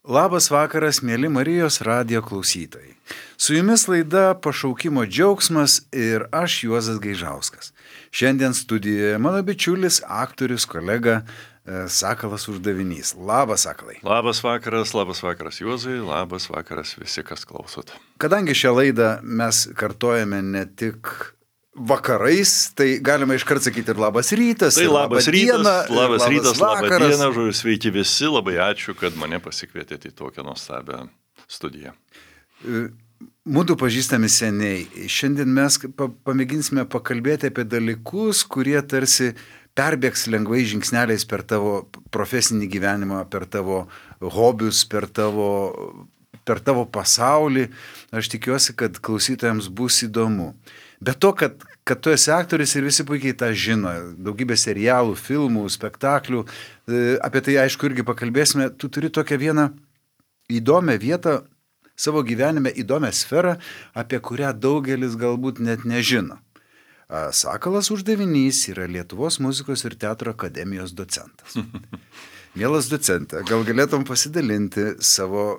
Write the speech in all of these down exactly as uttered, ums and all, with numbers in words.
Labas vakaras, mėly Marijos radijo klausytojai. Su jumis laida Pašaukimo džiaugsmas ir aš Juozas Gaižauskas. Šiandien studijoje mano bičiulis, aktorius, kolega e, Sakalas Uždavinys. Labas, Sakalai. Labas vakaras, labas vakaras Juozai, labas vakaras visi, kas klausot. Kadangi šią laidą mes kartojame ne tik vakarais, tai galima iškart sakyti ir labas rytas, tai ir labas rytas, diena, labas, labas rytas, labas diena, žodžiu, sveiki visi, labai ačiū, kad mane pasikvietėte į tokią nuostabią studiją. Mūdu pažįstami seniai. Šiandien mes pamėginsime pakalbėti apie dalykus, kurie tarsi perbėgs lengvai žingsneliais per tavo profesinį gyvenimą, per tavo hobius, per tavo, per tavo pasaulį. Aš tikiuosi, kad klausytojams bus įdomu. Bet to, kad, kad tu esi aktorius ir visi puikiai tą žino, daugybė serialų, filmų, spektaklių, apie tai aišku irgi pakalbėsime, tu turi tokią vieną įdomią vietą savo gyvenime, įdomią sferą, apie kurią daugelis galbūt net nežino. Sakalas Uždavinys yra Lietuvos muzikos ir teatro akademijos docentas. Mielas docente, gal galėtum pasidalinti savo,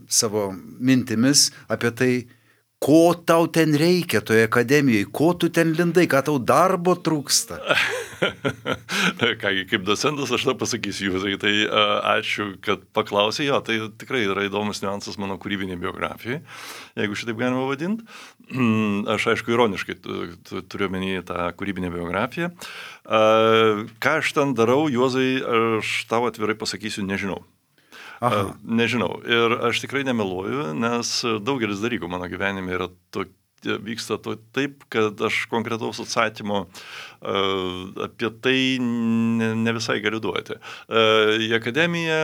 savo mintimis apie tai, ko tau ten reikia toje akademijoje, ko tu ten lindai, ką tau darbo trūksta? Kągi, kaip docentas aš tą pasakysiu Jūzai, tai uh, ačiū, kad paklausė, jo, tai tikrai yra įdomus niuansas mano kūrybinė biografija, jeigu šitaip galima vadinti. Aš aišku ironiškai turiu omeny tą kūrybinę biografiją. Uh, ką aš ten darau, Juozai, aš tau atvirai pasakysiu, nežinau. Aha. Nežinau. Ir aš tikrai nemeluoju, nes daugelis dalykų mano gyvenime yra to, vyksta to taip, kad aš konkretaus atsakymo uh, apie tai ne, ne visai galiu duoti. Uh, į akademiją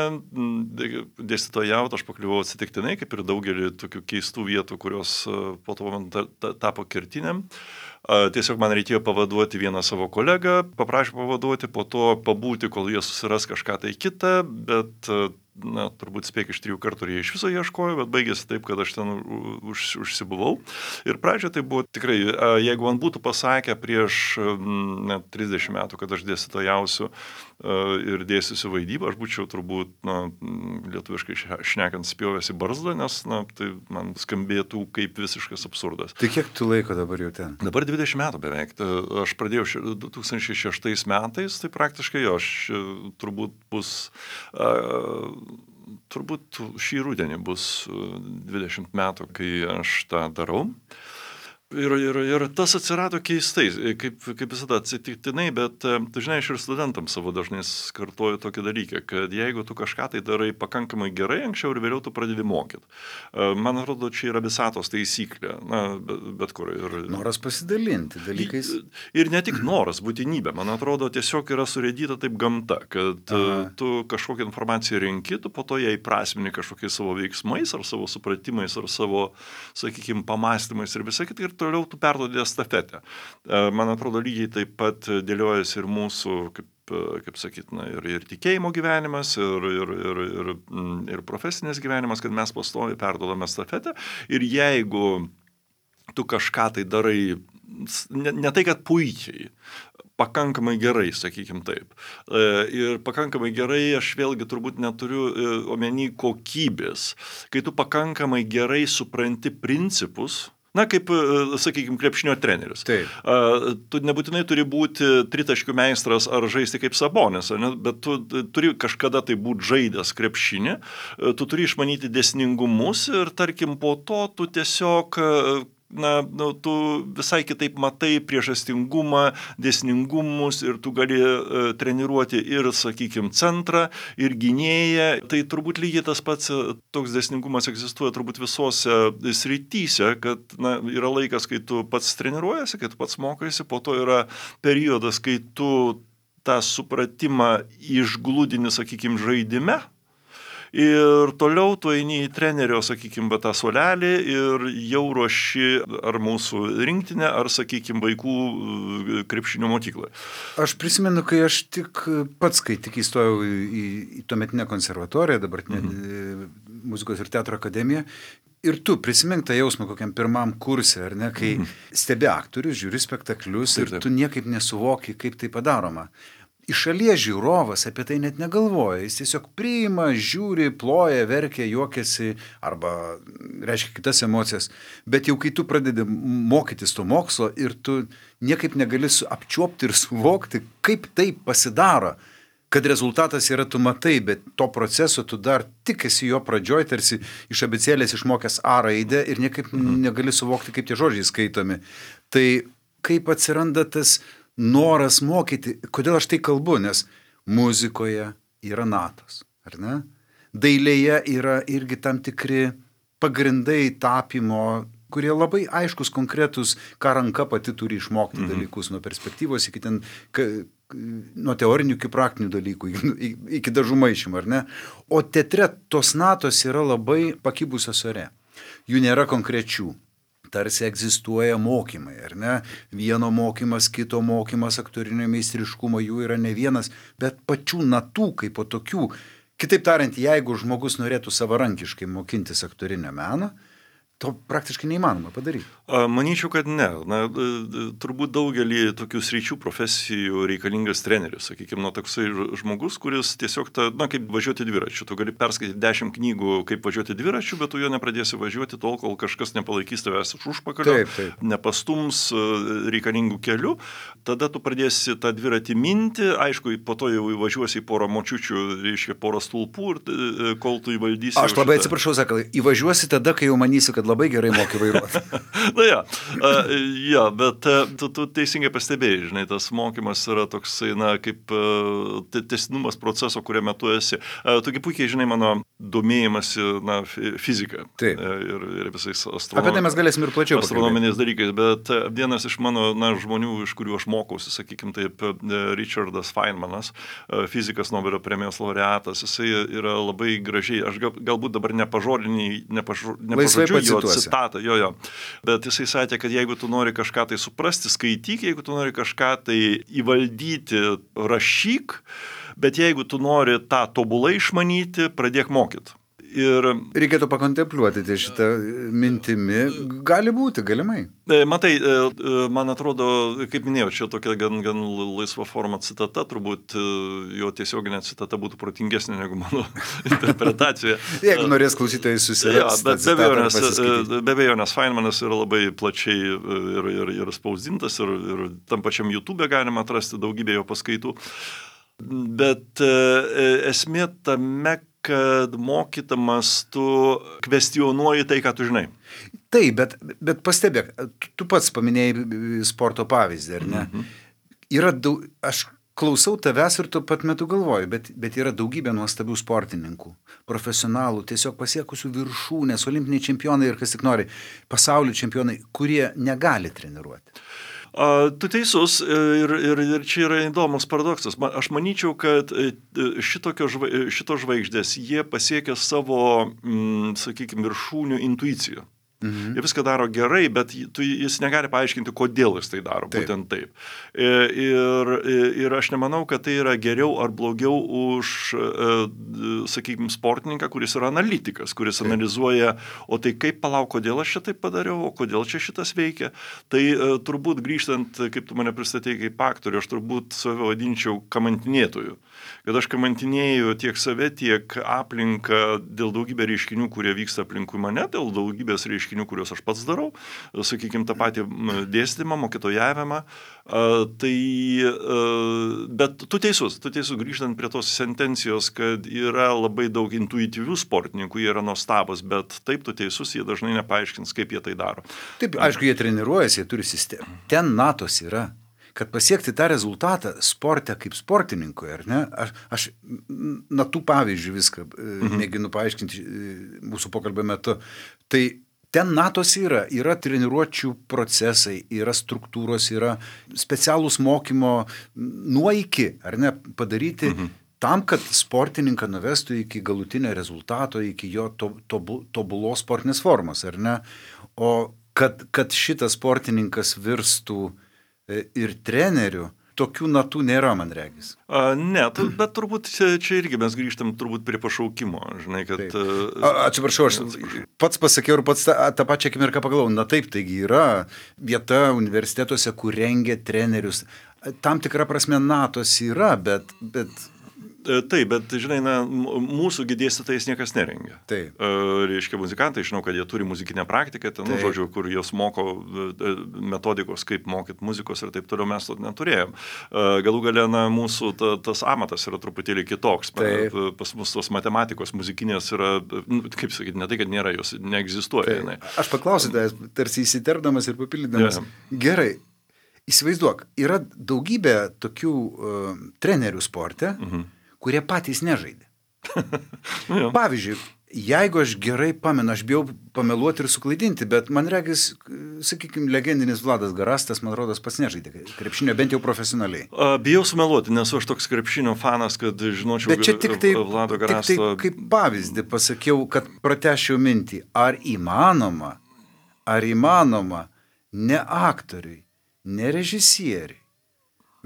dėstytojauti aš pakliuvau atsitiktinai, kaip ir daugelį tokių keistų vietų, kurios uh, po to man ta, ta, tapo kertiniam. Uh, tiesiog man reikėjo pavaduoti vieną savo kolegą, paprašė pavaduoti, po to pabūti, kol jie susiras kažką tai kitą, bet uh, na, turbūt spėk iš trijų kartų jie iš viso ieškojo, bet baigėsi taip, kad aš ten už, užsibuvau. Ir pradžioje tai buvo tikrai, jeigu man būtų pasakę prieš net trisdešimt metų, kad aš dėstytojausiu ir dėstysiu vaidybą, aš būčiau turbūt, na, lietuviškai šnekant, spjovęs į barzdą, nes, na, tai man skambėtų kaip visiškas absurdas. Tai kiek tu laiko dabar jau ten? Dabar dvidešimt metų beveik. Aš pradėjau du tūkstančiai šeštais metais, tai praktiškai jo, aš turbūt bus... Uh, Turbūt šį rudenį bus dvidešimt metų, kai aš tą darau. Ir, ir, ir tas atsirado keistai, kaip, kaip visada atsitiktinai, bet, tu žinai, aš ir studentams savo dažnai kartuoju tokį dalyką, kad jeigu tu kažką tai darai pakankamai gerai, anksčiau ir vėliau tu pradedi mokyti. Man atrodo, čia yra visatos taisyklė, na, bet, bet kur. Ir, noras pasidalinti dalykais. Ir ne tik noras, būtinybė. Man atrodo, tiesiog yra surėdyta taip gamta, kad Aha. tu kažkokią informaciją renki, tu po to ją įprasmini kažkokiais savo veiksmais, ar savo supratimais, ar savo, sakykime, pamastymais ir visą kitą. Ir toliau tu perduodi estafetę. Man atrodo, lygiai taip pat dėliojasi ir mūsų, kaip, kaip sakyt, na, ir, ir tikėjimo gyvenimas, ir, ir, ir, ir, ir profesinės gyvenimas, kad mes pastoviai perduodame estafetę. Ir jeigu tu kažką tai darai, ne, ne tai, kad puikiai, pakankamai gerai, sakykim taip. Ir pakankamai gerai aš vėlgi turbūt neturiu omeny kokybės. Kai tu pakankamai gerai supranti principus, na, kaip, sakykime, krepšinio treneris. Taip. Tu nebūtinai turi būti tritaškių meistras ar žaisti kaip Sabonis, ne? Bet tu turi kažkada tai būti žaidęs krepšinį, tu turi išmanyti dėsningumus ir, tarkim, po to tu tiesiog... Na, nu, tu visai kitaip matai priežastingumą, dėsningumus ir tu gali e, treniruoti ir, sakykime, centrą, ir gynėją. Tai turbūt lygiai tas pats toks dėsningumas egzistuoja turbūt visose srityse, kad na, yra laikas, kai tu pats treniruojasi, kai tu pats mokaisi, po to yra periodas, kai tu tą supratimą išglūdini, sakykime, žaidime. Ir toliau tu eini į trenerio, sakykime, tą suolelį ir jau ruoši ar mūsų rinktinę, ar, sakykime, vaikų krepšinio mokykloje. Aš prisimenu, kai aš tik pats, kai tik įstojau į, į, į tuometinę konservatoriją, dabartinę mhm. muzikos ir teatro akademiją, ir tu prisimink tą jausmą kokiam pirmam kurse, ar ne, kai mhm. stebi aktorius, žiūri spektaklius ir taip, taip. Tu niekaip nesuvoki, kaip tai padaroma. iš šalies žiūrovas apie tai net negalvoja, jis tiesiog priima, žiūri, ploja, verkia, juokiasi arba reiškia kitas emocijas, bet jau kai tu pradedi mokytis to mokslo ir tu niekaip negali apčiuopti ir suvokti, kaip tai pasidaro, kad rezultatas yra tu matai, bet to proceso tu dar tik esi jo pradžioj, tarsi iš abėcėlės išmokęs A raidę ir niekaip negali suvokti, kaip tie žodžiai skaitomi. Tai kaip atsiranda tas noras mokyti, kodėl aš tai kalbu, nes muzikoje yra natos, ar ne? Dailėje yra irgi tam tikri pagrindai tapymo, kurie labai aiškus, konkretus, ką ranka pati turi išmokti mhm. dalykus, nuo perspektyvos iki ten, ka, nuo teorinių iki praktinių dalykų, iki, iki dažų maišymų, ar ne? O teatre tos natos yra labai pakibusios ore. Jų nėra konkrečių. Tarsi egzistuoja mokymai, ar ne? Vieno mokymas, kito mokymas, aktorinio meistriškumo, jų yra ne vienas, bet pačių natų kaip po tokių. Kitaip tariant, jeigu žmogus norėtų savarankiškai mokintis aktorinio meno, to praktiškai neįmanoma padaryti. Manyčiau, kad ne. Na, turbūt daugelį tokių sričių profesijų reikalingas treneris. Sakykime, nu, toksai žmogus, kuris tiesiog, ta, na, kaip važiuoti dviračiu. Tu gali perskaityti dešimt knygų, kaip važiuoti dviračiu, bet tu jo nepradėsi važiuoti tol, kol kažkas nepalaikys tavęs už užpakalio, taip, taip. nepastums reikalingų kelių. Tada tu pradėsi tą dviratį minti, aišku, po to jau įvažiuosi į porą močiučių, reiškia porą stulpų, ir kol tu įvaldysi. Aš labai šitą... atsiprašau, sakau, įvažiuosi tada, kai jau manysi, kad labai gerai moki vairuoti. Na ja, uh, ja, bet uh, tu, tu teisingai pastebėjai, žinai, tas mokymas yra toksai, na, kaip uh, tęstinumas proceso, kuriame tu esi. Uh, Togi puikiai, žinai, mano domėjimasi, na, fizika. Taip. Uh, ir, ir visais astronom... Apie tai mes galėsim ir plačiau astronominiais dalykais, bet uh, vienas iš mano, na, žmonių, iš kurių aš mokausi, sakykime, taip, uh, Richardas Feynmanas, uh, fizikas Nobelio premijos laureatas, jisai yra labai gražiai, aš gal, galbūt dabar nepažodiniai, nepažo, nepažodžiu jo citatą, jo, jo. Bet jisai sakė, kad jeigu tu nori kažką tai suprasti, skaityk, jeigu tu nori kažką tai įvaldyti, rašyk, bet jeigu tu nori tą tobulai išmanyti, pradėk mokyti. Ir reikėtų pakontempliuoti tai šitą mintimi. Gali būti, galimai. Matai, man atrodo, kaip minėjau, čia tokia gan, gan laisva forma citata, turbūt jo tiesioginė citata būtų protingesnė negu mano interpretacija. Jeigu norės klausytojai susirasti. Ja, bet be abejo, nes Feynmanas yra labai plačiai ir, ir, ir spausdintas, ir, ir tam pačiam YouTube galima atrasti daugybę jo paskaitų. Bet esmė tame, kad mokytamas tu kvestionuoji tai, ką tu žinai. Taip, bet, bet pastebėk, tu, tu pats paminėjai sporto pavyzdį, ar ne? Mhm. Yra daug, aš klausau tavęs ir tu pat metu galvoju, bet, bet yra daugybė nuostabių sportininkų, profesionalų, tiesiog pasiekusių viršūnės, olimpiniai čempionai ir kas tik nori, pasaulio čempionai, kurie negali treniruoti. Tu teisus ir, ir, ir čia yra įdomus paradoksas. Aš manyčiau, kad šitokio, šito žvaigždės jie pasiekia savo, mm, sakykime, viršūnių intuiciją. Mhm. Jie viską daro gerai, bet jis negali paaiškinti, kodėl jis tai daro, taip. Būtent taip. Ir, ir aš nemanau, kad tai yra geriau ar blogiau už, sakykime, sportininką, kuris yra analitikas, kuris taip. Analizuoja, o tai kaip palauk, kodėl aš čia taip padariau, o kodėl čia šitas veikia. Tai turbūt grįžtant, kaip tu mane pristatėjai kaip aktorių, aš turbūt save vadinčiau kamantinėtoju. Kad aš kamantinėju tiek save, tiek aplinką dėl daugybę reiškinių, kurie vyksta aplinkui mane, dėl daugybės reiškinių, kuriuos aš pats darau, sakykime, tą patį dėstymą, mokytojavimą. Tai, bet tu teisus, tu teisus, grįžtant prie tos sentencijos, kad yra labai daug intuityvių sportininkų, jie yra nuostabus, bet taip tu teisus, jie dažnai nepaaiškins, kaip jie tai daro. Taip, aišku, jie treniruojasi, jie turi sistemą. Ten natos yra. Kad pasiekti tą rezultatą sporte kaip sportininkui, ar ne? Aš, aš na tų pavyzdžių viską mhm. mėginu paaiškinti mūsų pokalbio metu. Tai ten natos yra, yra treniruočių procesai, yra struktūros, yra specialūs mokymo nuo iki, ar ne, padaryti mhm. tam, kad sportininką nuvestų iki galutinio rezultato, iki jo to, tobu, tobulos sportinės formos, ar ne? O kad, kad šitas sportininkas virstų ir trenerių, tokių natų nėra, man regis. A, ne, tu, bet turbūt čia, čia irgi mes grįžtam turbūt prie pašaukimo, žinai, kad... A, atsiprašau, aš pats pasakiau ir pats tą, tą pačią akimirką pagalvojau, na taip, taigi yra vieta universitetuose, kur rengia trenerius. tam tikra prasme natos yra, bet... bet... Taip, bet, žinai, na, mūsų dėstytojais niekas nerengia. Taip. Reiškia, muzikantai, žinau, kad jie turi muzikinę praktiką, ten, nu, žodžiu, kur jos moko metodikos, kaip mokyti muzikos ir taip toliau, mes to neturėjom. Galų gale, na, mūsų ta, tas amatas yra truputėlį kitoks. Taip. Pas mus tos matematikos muzikinės yra, nu, kaip sakyti, ne tai, kad nėra, jos neegzistuoja. Taip. Aš paklausiu, tarsi įsiterpdamas ir papildydamas. Ja. Gerai. Įsivaizduok, yra daugybė tokių uh, trenerių sporte, mhm. kurie patys nežaidė. ja. Pavyzdžiui, jeigu aš gerai pamenu, aš bijau pameluoti ir suklaidinti, bet man regis, sakykime, legendinis Vladas Garastas, man rodos, pats nežaidė krepšinio, bent jau profesionaliai. A, bijau sumeluoti, nes aš toks krepšinio fanas, kad žinočiau bet čia tik tai, Vlado Garasto. Tik tai kaip pavyzdį pasakiau, kad pratešiau mintį, ar įmanoma, ar įmanoma ne aktoriui, ne režisieriui,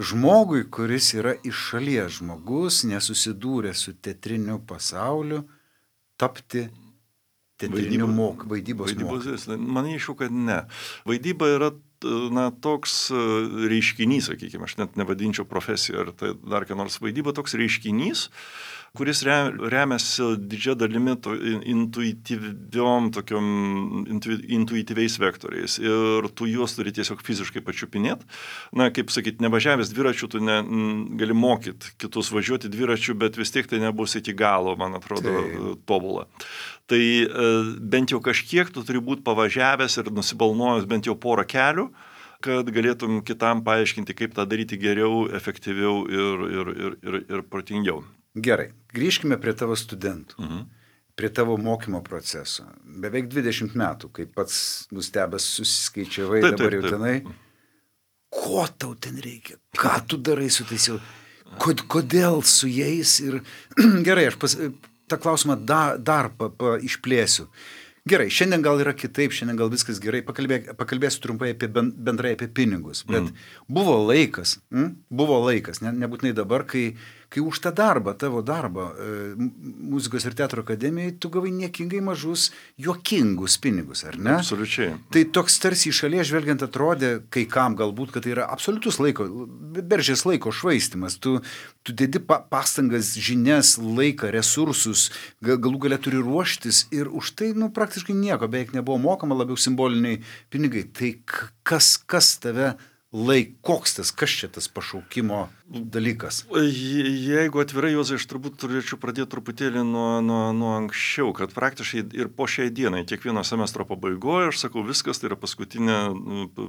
žmogui, kuris yra iš šalies žmogus, nesusidūrė su teatriniu pasauliu, tapti teatriniu mok, vaidybos mokytoju. Manyčiau, kad ne. Vaidyba yra, na, toks reiškinys, sakykime, aš net nevadinčiau profesiją ar tai dar ką nors. Vaidyba toks reiškinys, kuris remiasi didžia dalimi to intuityviom, tokiom intuityviais vektoriais. Ir tu juos turi tiesiog fiziškai pačiupinėti. Na, kaip sakyti, nevažiavęs dviračių, tu ne, gali mokyti kitus važiuoti dviračių, bet vis tiek tai nebus iki galo, man atrodo, tai tobula. Tai bent jau kažkiek tu turi būti pavažiavęs ir nusibalnuojęs bent jau porą kelių, kad galėtum kitam paaiškinti, kaip tą daryti geriau, efektyviau ir, ir, ir, ir, ir protingiau. Gerai, grįžkime prie tavo studentų, Mhm. prie tavo mokymo proceso. Beveik dvidešimt metų, kaip pats nustebęs susiskaičiavai Taip, dabar jau taip, tenai. Ko tau ten reikia? Ką tu darai su tais jau? Kod, kodėl su jais? Ir gerai, aš pas, tą klausimą da, dar pa, pa, išplėsiu. Gerai, šiandien gal yra kitaip, šiandien gal viskas gerai, Pakalbė, pakalbėsiu trumpai apie bendrai apie pinigus, bet mm. buvo laikas, mm, buvo laikas, ne, nebūtinai dabar, kai, kai už tą darbą, tavo darbą e, muzikos ir teatro akademijai, tu gavai niekingai mažus, juokingus pinigus, ar ne? Absoliučiai. Tai toks tarsi iš šalies žvelgiant atrodė, kai kam galbūt, kad tai yra absoliutus laiko, beržės laiko švaistimas, tu, tu dedi pa, pastangas, žinias, laiką, resursus, galų galia turi ruoštis ir už tai, nu, praktiškai nieko beveik nebuvo mokama, labiau simboliniai pinigai. Tai kas, kas tave laik, koks tas, kas čia tas pašaukimo dalykas? Jeigu atvirai, Juozai, aš turbūt turėčiau pradėti truputėlį nuo, nuo, nuo anksčiau, kad praktiškai ir po šiai dienai, kiekvieno semestro pabaigoje, aš sakau, viskas, tai yra paskutinė,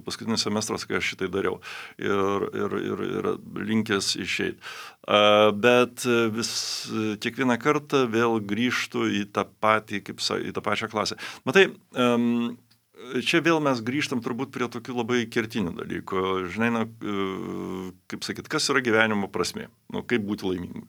paskutinis semestras, kai aš šitai dariau ir, ir, ir, ir linkęs išeiti. Bet vis kiekvieną kartą vėl grįžtu į tą patį, kaip į tą pačią klasę. Matai, um, čia vėl mes grįžtam turbūt prie tokių labai kertinių dalykų. Žinai, na, kaip sakyt, kas yra gyvenimo prasmė? Nu, kaip būti laimingu?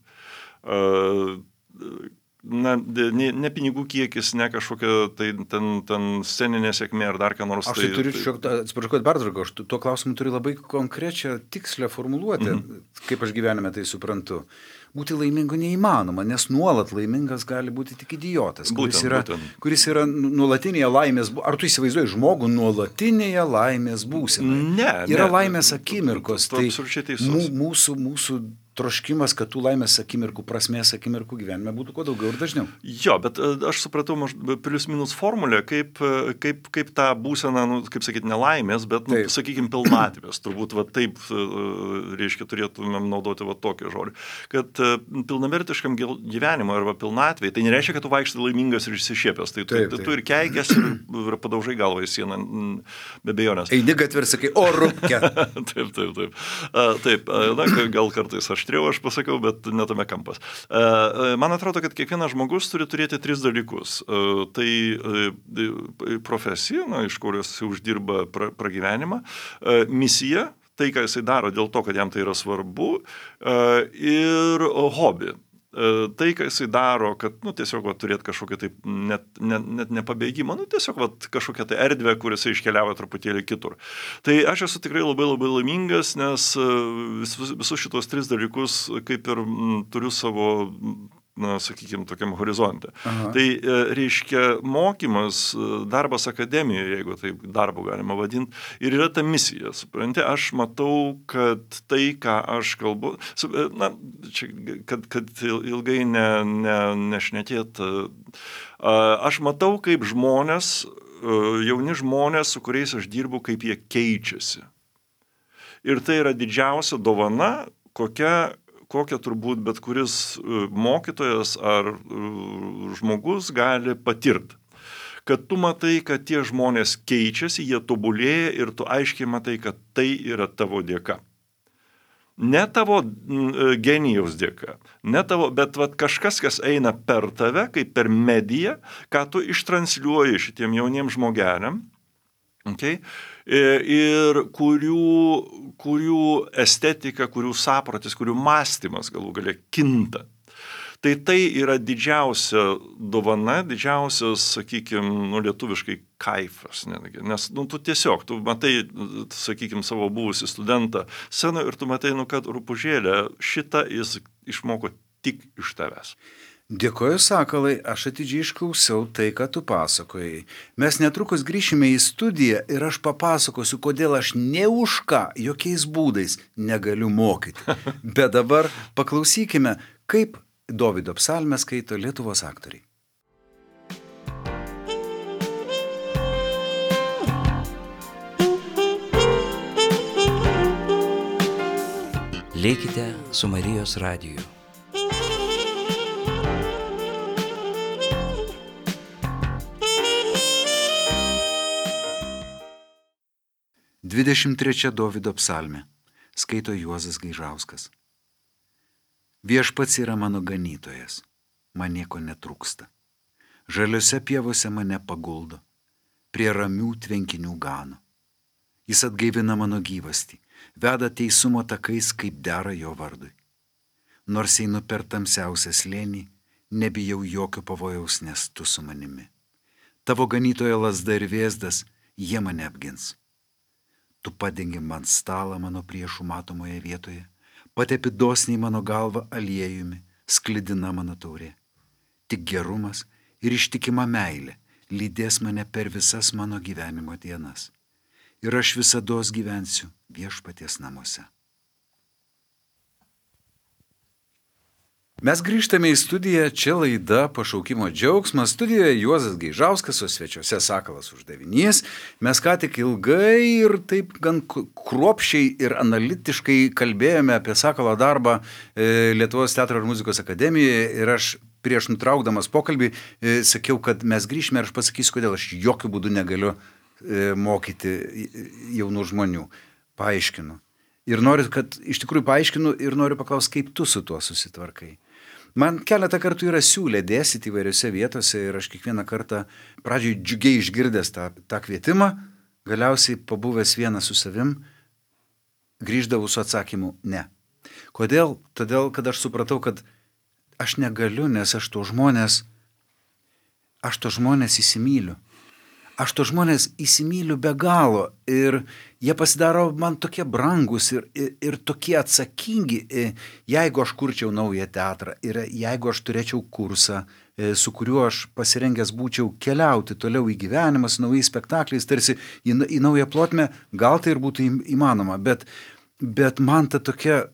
Na, ne, ne pinigų kiekis, ne kažkokia tai ten, ten sceninė sėkmė ar dar ką nors. Aš tai, tai turiu, tai... atsiprašau, kad pertraukiau, aš tuo klausimu turiu labai konkrečią, tikslę formuluotę, mm-hmm. kaip aš gyvenime tai suprantu. Būti laimingu neįmanoma, nes nuolat laimingas gali būti tik idiotas, kuris būtent, yra, būtent. kuris yra nuolatinėje laimės, ar tu įsivaizduoji žmogų nuolatinėje laimės būsenoje? Ne, yra ne. laimės akimirkos, tu, tu, tai mūsų, mūsų troškimas, kad tų laimės akimirkų, prasmės akimirkų gyvenime būtų kuo daugiau ir dažniau. Jo, bet aš supratau plius minus formulę, kaip, kaip, kaip tą būseną, nu, kaip sakyti, nelaimės, bet, nu, sakykime, pilnatvės. Turbūt va, taip, reiškia, turėtumėm naudoti va, tokį žodį. Kad pilnavertiškam gyvenimui arba pilnatvėj, tai nereiškia, kad tu vaikštai laimingas ir išsišiepęs. Tai tu, taip, taip. tu ir keikės ir, ir padaužai galvą į sieną, be abejonės. Eini gatvę ir sakai, o rūpke. taip, taip, taip. A, taip, na, gal kartais aš aštriau aš pasakau, bet netame kampas. Man atrodo, kad kiekvienas žmogus turi turėti tris dalykus. Tai profesija, na, iš kurios uždirba pra, pragyvenimą, misija, tai, ką jisai daro dėl to, kad jam tai yra svarbu, ir hobį. Tai, ką jisai daro, kad, nu, tiesiog va, turėti kažkokią tai net, net, net nepabėgimą, nu, tiesiog va, kažkokią tai erdvę, kur jisai iškeliavo truputėlį kitur. Tai aš esu tikrai labai labai laimingas, nes vis, visus šitos tris dalykus kaip ir m, turiu savo na, sakykime, tokiam horizonte. Aha. Tai reiškia mokymas, darbas akademijoje, jeigu taip darbo galima vadinti, ir yra ta misija. Supranti, aš matau, kad tai, ką aš kalbu, na, čia, kad, kad ilgai ne, ne, nešnekėt, aš matau, kaip žmonės, jauni žmonės, su kuriais aš dirbu, kaip jie keičiasi. Ir tai yra didžiausia dovana, kokia, kokią turbūt bet kuris mokytojas ar žmogus gali patirti. Kad tu matai, kad tie žmonės keičiasi, jie tobulėja ir tu aiškiai matai, kad tai yra tavo dėka. Ne tavo genijaus dėka, ne tavo, bet vat, kažkas, kas eina per tave, kaip per mediją, ką tu ištransliuoji šitiem jauniem žmogeliam, okay? Ir kurių, kurių estetika, kurių sapratis, kurių mąstymas galų galia kinta. Tai tai yra didžiausia dovana, didžiausias, sakykime, nu, lietuviškai kaifas. Netgi. Nes nu, tu tiesiog, tu matai, sakykime, savo buvusį studentą scenoje ir tu matai, nu, kad rupūžėlė šitą jis išmoko tik iš tavęs. Dėkoju, Sakalai, aš atidžiai išklausiau tai, ką tu pasakojai. Mes netrukus grįšime į studiją ir aš papasakosiu, kodėl aš ne už ką, jokiais būdais negaliu mokyti. Bet dabar paklausykime, kaip Dovydo psalmę skaito Lietuvos aktoriai. Likite su Marijos radiju. dvidešimt trečia Dovydo psalmė. Skaito Juozas Gaižauskas. Viešpats yra mano ganytojas, man nieko netrūksta. Žaliose pievose mane paguldo, prie ramių tvenkinių gano. Jis atgaivina mano gyvastį, veda teisumo takais, kaip dera jo vardui. Nors einu per tamsiausią slėnį, nebijau jokio pavojaus, nes tu su manimi. Tavo ganytojo lazda ir vėzdas, jie mane apgins. Tu padengi man stalą mano priešų matomoje vietoje, patepi dosniai mano galvą aliejumi, sklidina mano taurė. Tik gerumas ir ištikima meilė lydės mane per visas mano gyvenimo dienas. Ir aš visados gyvensiu Viešpaties namuose. Mes grįžtame į studiją, čia laida Pašaukimo džiaugsmas, studijoje Juozas Gaižauskas, o svečiuose Sakalas Uždavinys. Mes ką tik ilgai ir taip gan kruopščiai ir analitiškai kalbėjome apie Sakalo darbą Lietuvos teatro ir muzikos akademijoje ir aš prieš nutraukdamas pokalbį sakiau, kad mes grįžime ir aš pasakysiu, kodėl aš jokių būdų negaliu mokyti jaunų žmonių. Paaiškinu. Ir noriu, kad iš tikrųjų paaiškinu ir noriu paklausti, kaip tu su tuo susitvarkai. Man keletą kartų yra siūlę dėstyti įvairiose vietose ir aš kiekvieną kartą pradžiai džiugiai išgirdęs tą, tą kvietimą, galiausiai pabuvęs vienas su savim, grįždavau su atsakymu ne. Kodėl? Todėl, kad aš supratau, kad aš negaliu, nes aš to žmonės, aš to žmonės įsimyliu. Aš to žmonės įsimyliu be galo ir jie pasidaro man tokie brangus ir, ir, ir tokie atsakingi, jeigu aš kurčiau naują teatrą ir jeigu aš turėčiau kursą, su kuriuo aš pasirengęs būčiau keliauti toliau į gyvenimą su naujais spektakliais, tarsi į, į naują plotmę, gal tai ir būtų įmanoma, bet, bet man ta tokia,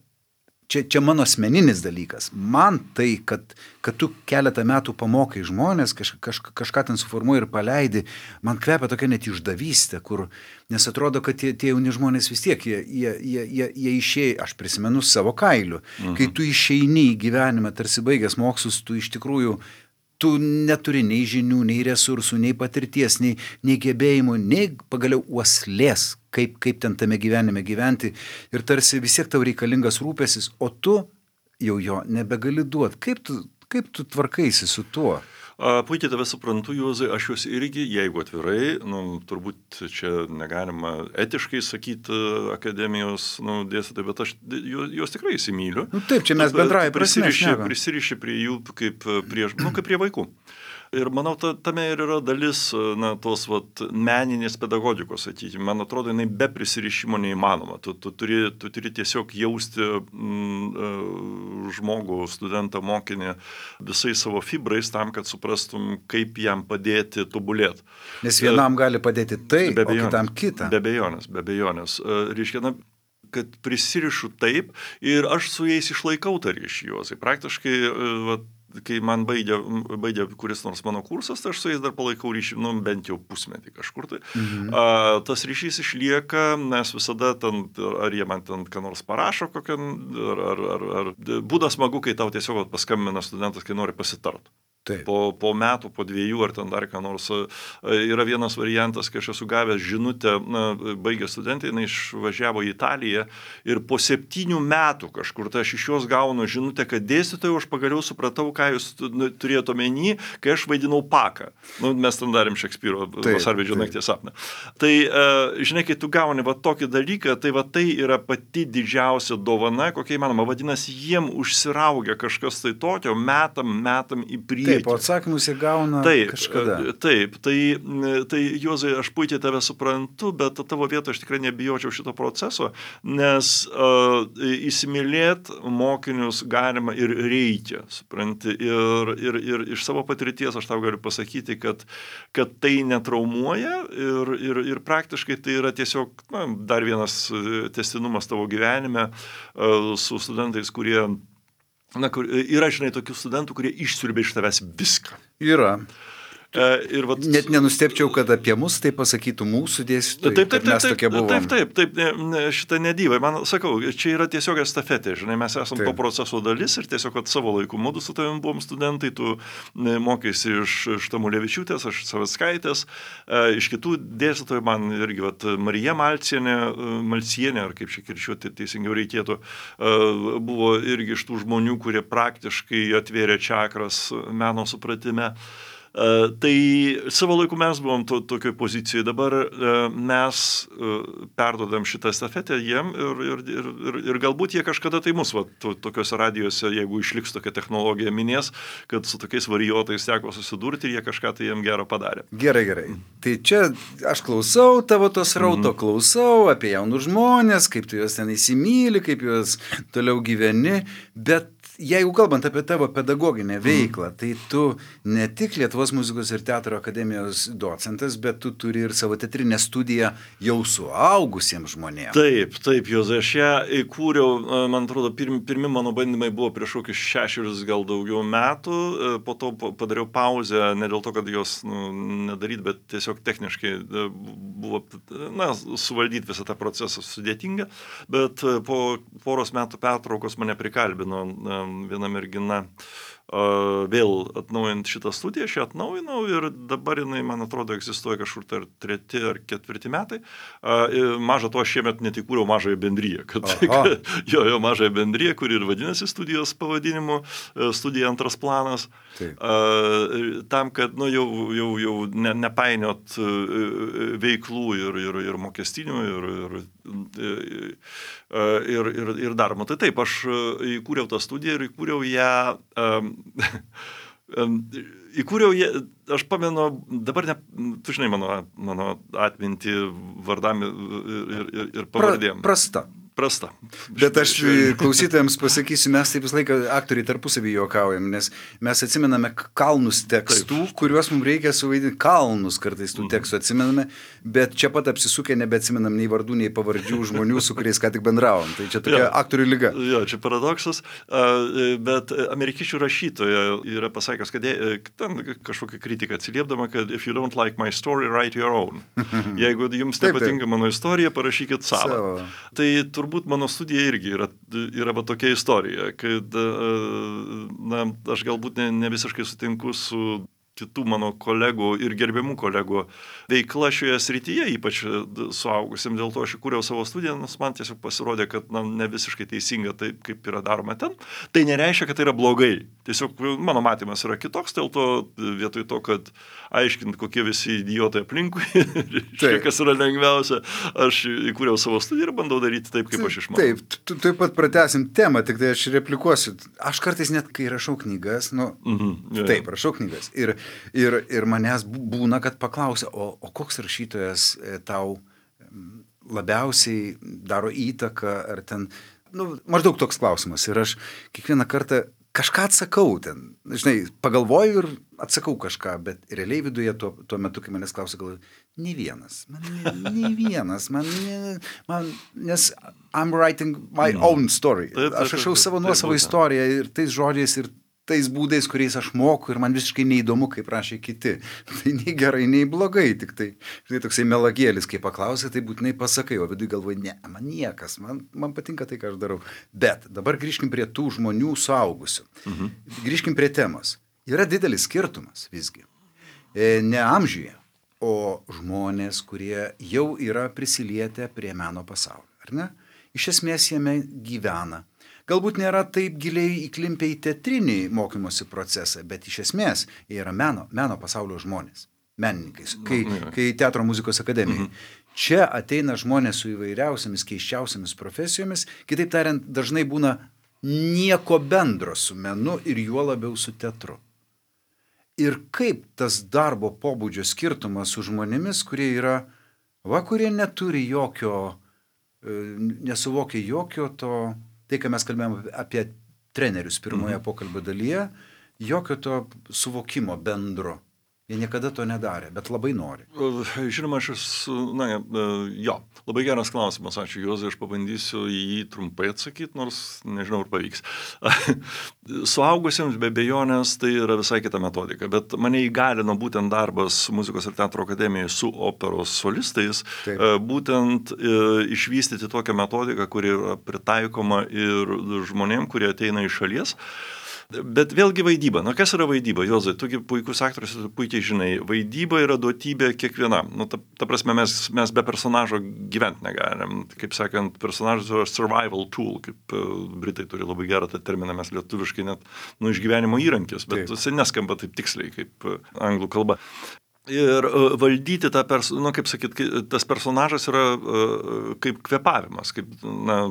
čia, čia mano asmeninis dalykas, man tai, kad, kad tu keletą metų pamokai žmonės, kaž, kaž, kažką ten suformuoji ir paleidi, man kvepia tokia net išdavystė, kur, nes atrodo, kad tie, tie jauni žmonės vis tiek, jie, jie, jie, jie, jie išėjai, aš prisimenu savo kailiu, mhm. Kai tu išeini į gyvenimą, tarsi baigęs mokslus, tu iš tikrųjų, tu neturi nei žinių, nei resursų, nei patirties, nei, nei gebėjimų, nei pagaliau uoslės, kaip, kaip ten tame gyvenime gyventi. Ir tarsi vis tiek tau reikalingas rūpestis, o tu jau jo nebegali duoti. Kaip tu, kaip tu tvarkaisi su tuo? A, puikiai tave suprantu, Juozai, aš juos irgi, jeigu atvirai, nu, turbūt čia negalima etiškai sakyti akademijos nu, dėstytojai, bet aš juos, juos tikrai įsimyliu. Nu, taip, čia mes bendrai prasme prisiriši, prisiriši prie jų kaip prie, nu, kaip prie vaikų. Ir manau, ta, tame ir yra dalis na, tos vat, meninės pedagogikos, sakykime. Man atrodo, jinai be prisirišimo neįmanoma. Tu, tu, turi, tu turi tiesiog jausti mm, žmogų, studentą, mokinį visais savo fibrais tam, kad suprastum, kaip jam padėti tobulėti. Nes vienam gali padėti tai, o kitam kitą. Be abejonės, be abejonės. Reiškia, na, kad prisirišu taip ir aš su jais išlaikau tą ryšį juos. Praktiškai, va, kai man baigė, baigė kuris nors mano kursas, tai aš su jais dar palaikau ryšį, nu, bent jau pusmetį kažkur tai. Mhm. A, tas ryšys išlieka, nes visada ten, ar jie man ten ką nors parašo, kokią, ar, ar, ar, ar būda smagu, kai tau tiesiog paskambina studentas, kai nori pasitart. Po, po metų, po dviejų ar ten dar ką nors. Yra vienas variantas, kai aš esu gavęs žinutę, na, baigė studentai, jinai išvažiavo į Italiją ir po septynių metų kažkur, tai aš iš jos gaunu žinutę, kad dėstytojau, aš pagaliau supratau, ką jūs turėjote omeny, kai aš vaidinau Paką. Nu, mes ten darėm Šekspyro Vasarvidžio nakties sapną. Tai, žinai, kai tu gauni va tokį dalyką, tai va tai yra pati didžiausia dovana, kokia įmanoma. Vadinasi, jiem užsiraugia kažkas tai tokio, metam, metam į priekį. Taip, o atsakymus jie gauna taip, kažkada. Taip, tai, tai Juozai, aš puikiai tave suprantu, bet tavo vietoje aš tikrai nebijočiau šito proceso, nes uh, įsimylėt mokinius galima ir reikia, supranti. Ir, ir, ir iš savo patirties aš tau galiu pasakyti, kad, kad tai netraumuoja ir, ir, ir praktiškai tai yra tiesiog na, dar vienas tęstinumas tavo gyvenime uh, su studentais, kurie Na, kur, yra, žinai, tokių studentų, kurie išsiurbia iš tavęs viską. Yra. E, ir vat, Net nenustepčiau, kad apie mus tai pasakytų mūsų dėstytojai, taip, taip, kad mes taip, tokie buvom. Taip, taip, taip, ne, šitą nedyvai. Man, sakau, čia yra tiesiog estafetė, žinai, mes esam taip. To proceso dalis ir tiesiog, kad savo laiku mudu su tavim buvom studentai, tu mokėsi iš, iš Tamulevičiūtės, aš Savickaitės, e, iš kitų dėstytojų, man irgi, vat, Marija Malcienė, Malcienė, ar kaip čia kirčiuoti teisingiau reikėtų, e, buvo irgi iš tų žmonių, kurie praktiškai atvėrė čakras meno supratime. Uh, tai savo laiku mes buvom to, tokioj pozicijoje, dabar uh, mes uh, perdodam šitą estafetę jiem ir, ir, ir, ir, ir galbūt jie kažkada tai mus, va, to, tokiuose radijose, jeigu išliks tokia technologija, minės, kad su tokiais varijuotais teko susidurti ir jie kažką tai jiem gero padarė. Gerai, gerai. Tai čia aš klausau tavo tos rauto, mm. klausau apie jaunus žmonės, kaip tu juos ten įsimyli, kaip juos toliau gyveni, bet jeigu kalbant apie tavo pedagoginę veiklą, tai tu ne tik Lietuvos muzikos ir teatro akademijos docentas, bet tu turi ir savo teatrinę studiją jau suaugusiems žmonėms. Taip, taip, Juozai, aš ją įkūriau, man atrodo, pirmi, pirmi mano bandymai buvo prieš kokius šešerius gal daugiau metų, po to padariau pauzę, ne dėl to, kad jos nu, nedaryt, bet tiesiog techniškai buvo, na, suvaldyti visą tą procesą sudėtinga, bet po poros metų pertraukos mane prikalbino viena mergina uh, vėl atnaujant šitą studiją, aš ją atnaujinau ir dabar jinai, man atrodo, egzistuoja kažkur tai treti ar ketvirti metai. Uh, maža to, aš šiemet net įkūriau mažąją bendriją, kad, kad jo, jo mažąją bendriją, kuri ir vadinasi studijos pavadinimu, studija antras planas. Uh, tam, kad nu, jau, jau, jau ne, nepainiot uh, veiklų ir, ir, ir mokestinių ir, ir, ir, ir, ir darbo. Tai taip, aš įkūriau tą studiją ir įkūriau ją, um, um, įkūriau ją, aš pamenu, dabar ne, tu žinai mano, mano atmintį vardam ir, ir, ir, ir pavardėm. Pra, prasta. Prasta. Bet aš klausytojams pasakysiu, mes taip visą laiką aktoriai tarpusavį juokaujam, nes mes atsimename kalnus tekstų, taip. Kuriuos mums reikia suvaidinti, kalnus kartais tų tekstų atsimename, bet čia pat apsisukę nebeatsimenam nei vardų, nei pavardžių žmonių, su kuriais ką tik bendravom. Tai čia tokia ja, aktorių lyga. Jo, čia paradoksas, bet amerikiečių rašytoja yra pasakęs, kad ten kažkokia kritika atsiliepdama, kad if you don't like my story, write your own. Jeigu jums nepatinka mano istorija, parašykit savo. savo. Tai turbūt mano studija irgi yra, yra va tokia istorija, kad na, aš galbūt ne, ne visiškai sutinku su kitų mano kolegų ir gerbiamų kolegų veikla šioje srityje, ypač suaugusiam, dėl to aš įkūriau savo studiją, nes man tiesiog pasirodė, kad na, ne visiškai teisinga taip, kaip yra daroma ten. Tai nereiškia, kad tai yra blogai. Tiesiog mano matymas yra kitoks, dėl to vietoj to, kad aiškint, kokie visi idiotai aplinkui, kas yra lengviausia, aš įkūriau savo studiją ir bandau daryti taip, kaip aš išmanau. Taip, tu taip pat pratęsim temą, tik tai aš replikuosiu. Aš kartais net, kai rašau knygas, nu, mhm, yeah. taip, rašau knygas. Ir Ir, ir manęs būna, kad paklausia, o, o koks rašytojas tau labiausiai daro įtaką, ar ten, nu, maždaug toks klausimas. Ir aš kiekvieną kartą kažką atsakau ten, žinai, pagalvoju ir atsakau kažką, bet realiai viduje tuo, tuo metu, kai manęs klausia, galvoju, nei vienas, man ne, nei vienas, man, ne, man, nes I'm writing my own story. Aš rašau savo nuosavą istoriją ir tais žodžiais ir tais būdais, kuriais aš moku ir man visiškai neįdomu, kaip rašė kiti. Tai nei gerai, nei blogai, tik tai, žinai, toksai melagėlis, kai paklausai, tai būtinai pasakai, o vidui galvoju, ne, man niekas, man, man patinka tai, ką aš darau. Bet dabar grįžkim prie tų žmonių suaugusių. Mhm. Grįžkim prie temos. Yra didelis skirtumas visgi. E, ne amžiuje, o žmonės, kurie jau yra prisilietę prie meno pasaulio, ar ne? Iš esmės jame gyvena. Galbūt nėra taip giliai įklimpę į teatrinį mokymosi procesą, bet iš esmės jie yra meno, meno pasaulio žmonės, menininkai, kai, kai Teatro muzikos akademijai. Mhm. Čia ateina žmonės su įvairiausiamis, keiščiausiamis profesijomis, kitaip tariant, dažnai būna nieko bendro su menu ir juo labiau su teatru. Ir kaip tas darbo pobūdžio skirtumas su žmonėmis, kurie yra, va, kurie neturi jokio, nesuvokia jokio to, tai, ką mes kalbėjome apie trenerius pirmoje mhm. pokalbio dalyje, jokio to suvokimo bendro. Jie niekada to nedarė, bet labai nori. Žinoma, aš esu, na, jo, labai geras klausimas, ačiū Juozai, aš pabandysiu į jį trumpai atsakyti, nors nežinau, ar pavyks. Suaugusiems be abejonės tai yra visai kita metodika, bet mane įgalino būtent darbas Muzikos ir Teatro akademijoje su operos solistais, Taip. būtent išvystyti tokią metodiką, kuri yra pritaikoma ir žmonėm, kurie ateina iš šalies. Bet vėlgi vaidyba. Na, kas yra vaidyba? Juozai, tugi puikus aktorius, tu puikiai žinai. Vaidyba yra duotybė kiekvienam. Nu, ta, ta prasme, mes, mes be personažo gyventi negalim. Kaip sakant, personažas yra survival tool, kaip uh, Britai turi labai gerą tą terminą, mes lietuviškai net, nu, išgyvenimo įrankis, bet jis neskamba taip tiksliai, kaip uh, anglų kalba. Ir uh, valdyti tą, pers- nu, kaip sakyt, tas personažas yra uh, kaip kvėpavimas, kaip, na,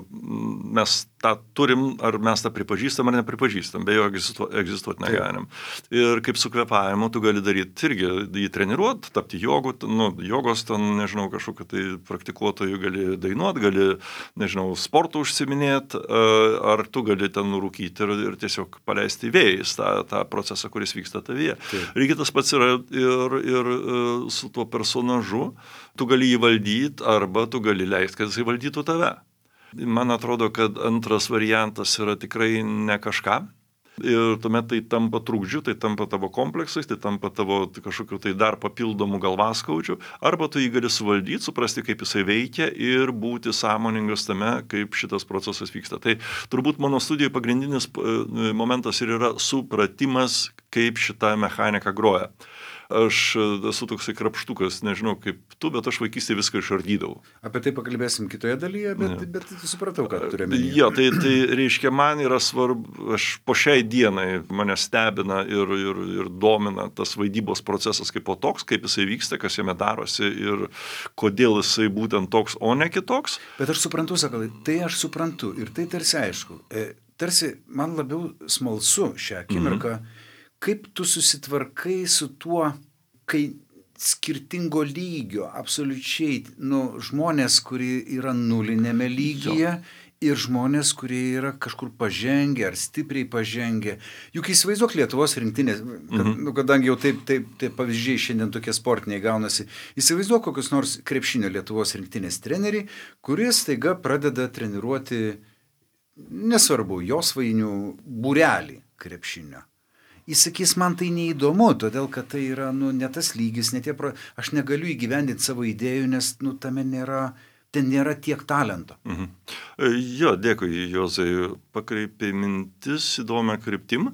mes tą turim, ar mes tą pripažįstam, ar nepripažįstam, be jo egzistuoti, egzistuoti negalim. Ir kaip su kvėpavimu tu gali daryti irgi, jį treniruoti, tapti jogų, nu, jogos, ten, nežinau, kažkokiu tai praktikuotoju gali dainuoti, gali, nežinau, sportų užsiminėti, uh, ar tu gali ten rūkyti ir, ir tiesiog paleisti vėjais tą, tą procesą, kuris vyksta tavyje. Reikia tas pats yra ir, ir su tuo personažu, tu gali jį valdyti arba tu gali leisti, kad jisai valdytų tave. Man atrodo, kad antras variantas yra tikrai ne kažką. Ir tuomet tai tampa trukdžiu, tai tampa tavo kompleksais, tai tampa tavo kažkokiu tai dar papildomų galvaskaučių, arba tu jį gali suvaldyti, suprasti, kaip jisai veikia ir būti sąmoningas tame, kaip šitas procesas vyksta. Tai turbūt mano studijoje pagrindinis momentas ir yra supratimas, kaip šita mechanika groja. Aš esu toksai krapštukas, nežinau kaip tu, bet aš vaikystėje viską išardydavau. Apie tai pakalbėsim kitoje dalyje, bet, ja. bet supratau, ką turėjome. Jo, tai, tai reiškia, man yra svarbu, aš po šiai dienai mane stebina ir, ir, ir domina tas vaidybos procesas kaip po toks, kaip jisai vyksta, kas jame darosi ir kodėl jisai būtent toks, o ne kitoks. Bet aš suprantu, Sakalai, tai aš suprantu ir tai tarsi aišku. E, tarsi man labiau smalsu šią akimirką, mhm. kaip tu susitvarkai su tuo, kai skirtingo lygio, absoliučiai, nu, žmonės, kurie yra nulinėme lygyje jo. Ir žmonės, kurie yra kažkur pažengę ar stipriai pažengę. Juk įsivaizduok Lietuvos rinktinės, kad, mhm. nu, kadangi jau taip, taip, taip pavyzdžiai šiandien tokie sportiniai gaunasi, įsivaizduok kokius nors krepšinio Lietuvos rinktinės treneriai, kuris staiga pradeda treniruoti, nesvarbu, josvainių būrelį krepšinio. Jis sakys, man tai neįdomu, todėl kad tai yra, nu, ne tas lygis, ne tie pro... aš negaliu įgyvendinti savo idėjų, nes, nu, tame nėra, ten nėra tiek talento. Mhm. Jo, dėkui, Juozai, pakreipė mintis įdomią kryptim.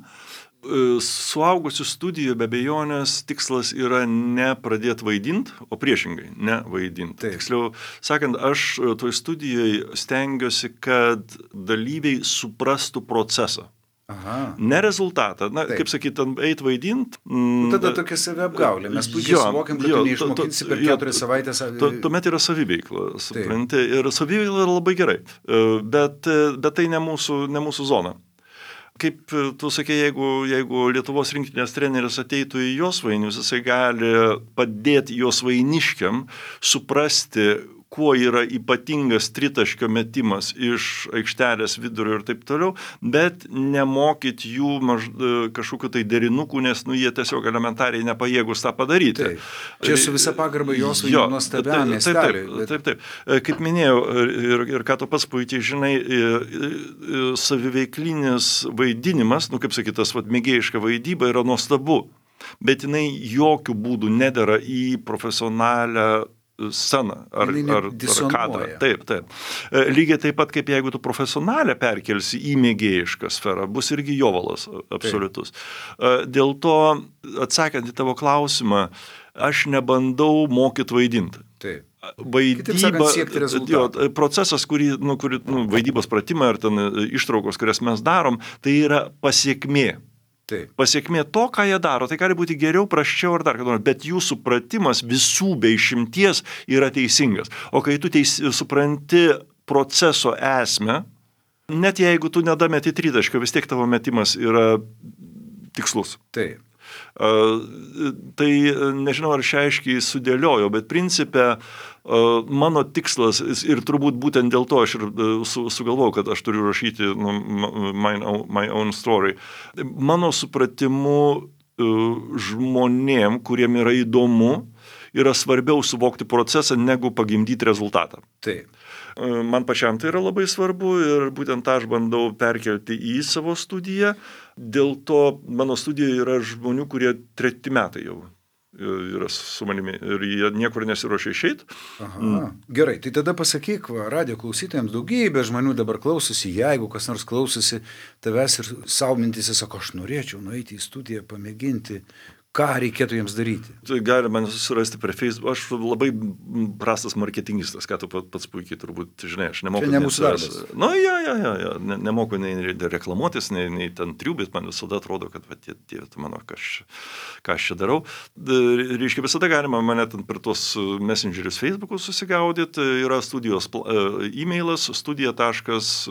Suaugusių studijų be abejonės tikslas yra ne pradėti vaidinti, o priešingai, ne vaidinti. Tiksliau, sakant, aš toj studijoje stengiuosi, kad dalyviai suprastų procesą. Aha. Ne rezultatą. Na, taip. Kaip sakyt, eit vaidint. Mm, Tada tokia saviapgaulė. Mes puikiai suvokiam, kad jo, tu neišmokinsi per keturias savaitės. Tuomet yra saviveikla, supranti. Ir saviveikla yra labai gerai. Bet, bet tai ne mūsų, ne mūsų zona. Kaip tu sakė, jeigu, jeigu Lietuvos rinktinės treneris ateitų į Josvainius, jisai gali padėti Josvainiškiam suprasti, kuo yra ypatingas tritaškio metimas iš aikštelės vidurio ir taip toliau, bet nemokyti jų maž, kažkokiu tai derinukų, nes nu, jie tiesiog elementariai nepajėgus tą padaryti. Taip. Čia su visa pagarba Josvainių nuostabiam miesteliui. Taip, taip, taip, taip. Kaip minėjau, ir, ir ką tu pats puikiai žinai, saviveiklinis vaidinimas, nu kaip sakytas, vat, mėgėjiška vaidyba yra nuostabu, bet jinai jokių būdų nedera į profesionalią sceną ar, ar, ar kadrą. Taip, taip. Lygiai taip pat, kaip jeigu tu profesionalę perkelsi į mėgėjišką sferą, bus irgi jovalas absoliutus. Taip. Dėl to, atsakant į tavo klausimą, aš nebandau mokyti vaidinti. Taip. Vaidyba, sakant, jo, procesas, kurį, nu, kurį nu, vaidybos pratimai ar ten ištraukos, kurias mes darom, tai yra pasiekmė. Taip. Pasiekmė to, ką jie daro, tai gali būti geriau, prasčiau ar dar ką nors, bet jų supratimas visų be išimties yra teisingas. O kai tu teis, supranti proceso esmę, net jeigu tu nedameti tritaškio, vis tiek tavo metimas yra tikslus. Taip. Uh, tai nežinau, ar šią aiškiai sudėliojo, bet principė uh, mano tikslas ir turbūt būtent dėl to aš ir uh, su, sugalvojau, kad aš turiu rašyti nu, my, my own story. Mano supratimu uh, žmonėm, kuriem yra įdomu, yra svarbiau suvokti procesą, negu pagimdyti rezultatą. Taip. Man pačiam tai yra labai svarbu ir būtent tą aš bandau perkelti į savo studiją. Dėl to mano studijoje yra žmonių, kurie treti metai jau yra su manimi ir jie niekur nesiruošia išeiti. Aha. Mm. Gerai, tai tada pasakyk, va, radio klausytojams, daugybė žmonių dabar klausosi, jeigu kas nors klausosi tavęs ir savo mintys, sako, aš norėčiau nueiti į studiją, pamėginti. Ką reikėtų jiems daryti? Tai galima susirasti per Facebook. Aš labai prastas marketingistas, ką tu pats puikiai turbūt žinai. Aš nemoku. Čia ne mūsų darbas. Nu, ja, ja, ja, ja. Ne, nemoku nei reklamuotis, nei, nei ten triubit, man visada atrodo, kad va, tie, tie, tu mano, ką aš, ką aš čia darau. Reiškia, visada galima mane ten per tuos messengerius Facebook'us susigaudyti. Yra studijos e-mailas, studija taškas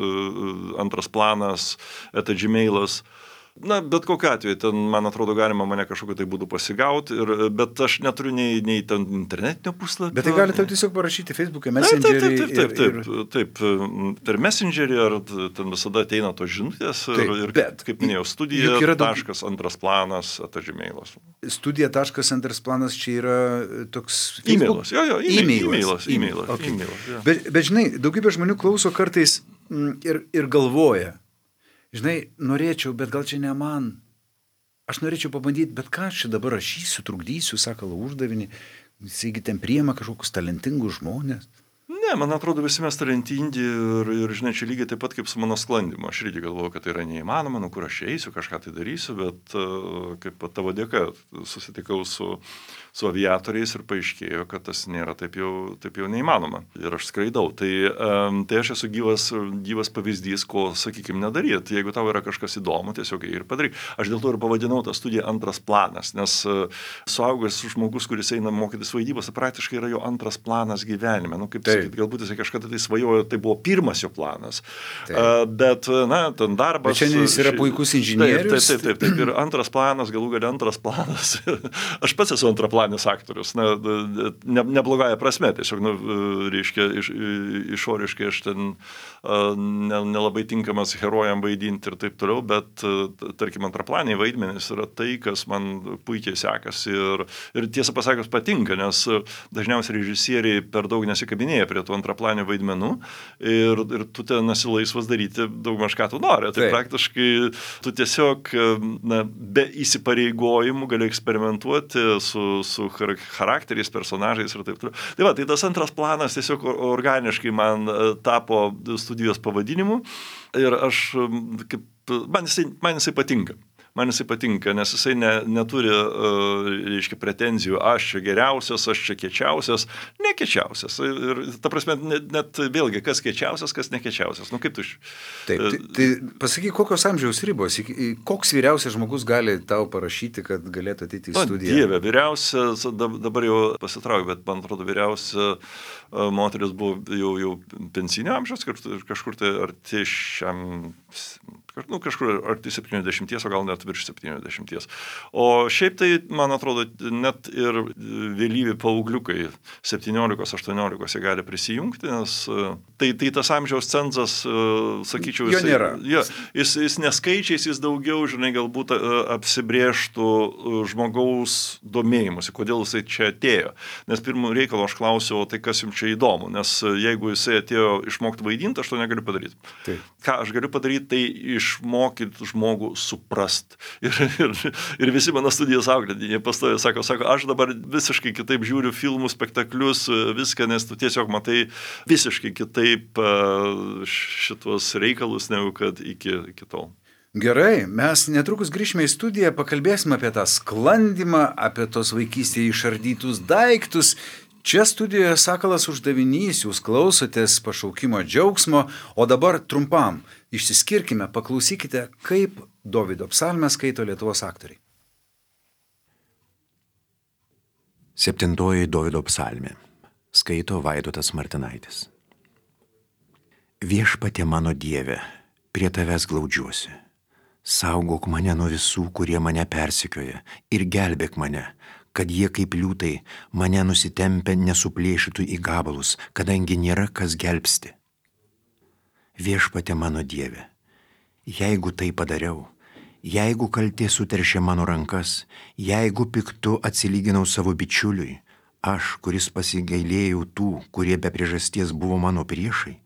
antras planas, eta gmailas. Na, bet kokiu atveju, ten, man atrodo, galima mane kažkokiu tai būdu pasigauti, ir, bet aš neturiu nei, nei ten internetinio puslapio. Bet tai gali tau tiesiog parašyti Facebook'e, Messengerį. Taip, taip, taip, taip, taip, taip, taip, per Messengerį, ar ten visada ateina tos žinutės, taip, ir, ir bet, kaip minėjau, studija taškas antras planas, eta gmailas. Studija taškas antras planas čia yra toks Facebook? E-mailas, jo, jo, e-mailas. E-mailas, okay. e-mailas, ja. bet, bet, žinai, daugybė žmonių klauso kartais ir, ir galvoja, žinai, norėčiau, bet gal čia ne man. Aš norėčiau pabandyti, bet ką aš čia dabar rašysiu, trukdysiu, sakalo uždavinį, jisai ten priima kažkokius talentingus žmonės. Ne, man atrodo, visi mes talentingi ir, ir, žinai, čia lygiai taip pat kaip su mano sklandymu. Aš irgi galvoju, kad tai yra neįmanoma, nu kur aš eisiu, kažką tai darysiu, bet uh, kaip tavo dėka susitikau su, su aviatoriais ir paaiškėjo, kad tas nėra taip jau, taip jau neįmanoma. Ir aš skraidau. Tai, um, tai aš esu gyvas, gyvas pavyzdys, ko, sakykime, nedaryti. Jeigu tau yra kažkas įdomu, tiesiog ir padaryk. Aš dėl to ir pavadinau tą studiją antras planas, nes uh, suaugęs žmogus, kuris eina mokytis vaidybos, praktiškai yra jo antras planas gyvenime. Nu, kaip sakyti, galbūt jisai kažkada tai svajojo, tai buvo pirmas jo planas. Uh, bet, na, ten darbas... Bet šiandien jis yra puikus inžinierius. Taip, taip, taip, taip. Ir antras planas, galų galia antras planas. Aš pats esu antraplanis aktorius. Na, ne, neblogąja prasme, tiesiog, nu, reiškia, iš, išoriškai aš ten ne, nelabai tinkamas herojam vaidinti ir taip toliau, bet, tarkim, antraplaniai vaidmenys yra tai, kas man puikiai sekasi ir, ir tiesą pasakius patinka, nes dažniausiai režisieriai per daug nesikabinėja prie tų antraplanių vaidmenų ir, ir tu ten esi laisvas daryti daugmaž ką tu nori. Tai Taip. Praktiškai tu tiesiog na, be įsipareigojimų gali eksperimentuoti su, su charakteriais, personažais ir taip toliau. Tai va, tai tas antras planas tiesiog organiškai man tapo studijos pavadinimu ir aš, kaip, man, jisai, man jisai patinka. Man jisai patinka, nes jisai ne, neturi, uh, reiškia, pretenzijų, aš čia geriausias, aš čia kiečiausias, nekiečiausias. Ir ta prasme, net, net vėlgi, kas kiečiausias, kas nekiečiausias. Nu, kaip tu iš... Taip, tai, tai pasakyk, kokios amžiaus ribos, koks vyriausias žmogus gali tau parašyti, kad galėtų ateiti į studiją? Dieve, vyriausias, dabar jau pasitraukiu, bet man atrodo, vyriausia moteris buvo jau, jau pensinio amžiaus, kažkur tai arti šiam Nu, kažkur arti septyniasdešimt, o gal net virš septyniasdešimt. O šiaip tai, man atrodo, net ir vėlyvi paaugliukai septyniolikos aštuoniolikos jie gali prisijungti, nes tai, tai tas amžiaus cenzas, sakyčiau, jo nėra. Ja, jis, jis neskaičiais, jis daugiau, žinai, galbūt apsibrėžtų žmogaus domėjimusi, kodėl jisai čia atėjo. Nes pirmų reikalo aš klausiau, tai kas jums čia įdomu, nes jeigu jisai atėjo išmokti vaidinti, aš to negaliu padaryti. Taip. Ką aš galiu padaryti, tai išmokyti žmogų suprast. Ir, ir, ir visi mano studijos auklėtiniai pastoja, sako, sako, aš dabar visiškai kitaip žiūriu filmus, spektaklius, viską, nes tu tiesiog matai visiškai kitaip šitos reikalus, negu kad iki, iki tol. Gerai, mes netrukus grįžime į studiją, pakalbėsime apie tą sklandimą, apie tos vaikystėje išardytus daiktus. Čia studijoje Sakalas uždavinys, jūs klausotės pašaukimo džiaugsmo, o dabar trumpam išsiskirkime, paklausykite, kaip Dovydo psalmę skaito Lietuvos aktoriai. Septintoji Dovydo psalmė. Skaito Vaidotas Martinaitis. Viešpatie mano Dieve, prie tavęs glaudžiuosi. Saugok mane nuo visų, kurie mane persekioja, ir gelbėk mane, kad jie kaip liūtai mane nusitempę nesuplėšytų į gabalus, kadangi nėra kas gelbsti. Viešpatie mano Dieve, jeigu tai padariau, jeigu kaltė suteršė mano rankas, jeigu piktu atsilyginau savo bičiuliui, aš, kuris pasigailėjau tų, kurie be priežasties buvo mano priešai,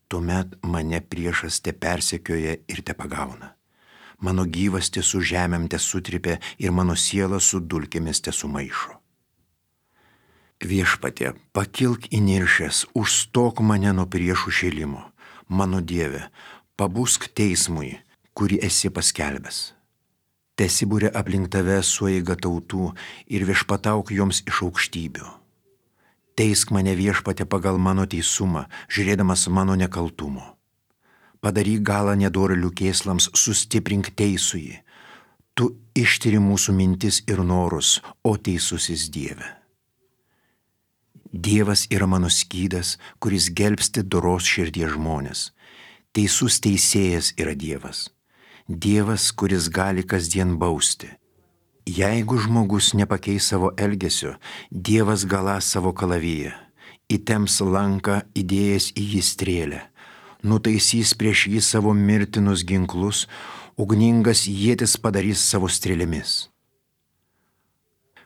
tuomet mane priešas te persekioja ir te pagauna. Mano gyvasti su žemėm te sutripė ir mano siela su dulkėmis te sumaišo. Viešpatie, pakilk įniršęs, užstok mane nuo priešų šėlimo. Mano Dieve, pabusk teismui, kurį esi paskelbęs. Tesibūrė aplink tave sueiga tautų ir viešpatauk joms iš aukštybių. Teisk mane Viešpatie pagal mano teisumą, žiūrėdamas mano nekaltumo. Padaryk galą nedorėlių kėslams, sustiprink teisųjį. Tu ištiri mūsų mintis ir norus, o teisusis Dieve. Dievas yra mano skydas, kuris gelbsti doros širdies žmonės. Teisus teisėjas yra Dievas. Dievas, kuris gali kasdien bausti. Jeigu žmogus nepakeis savo elgesio, Dievas galąs savo kalaviją, įtemps lanką įdėjęs į jį strėlę. Nutaisys prieš jį savo mirtinus ginklus, ugningas ietis padarys savo strėlėmis.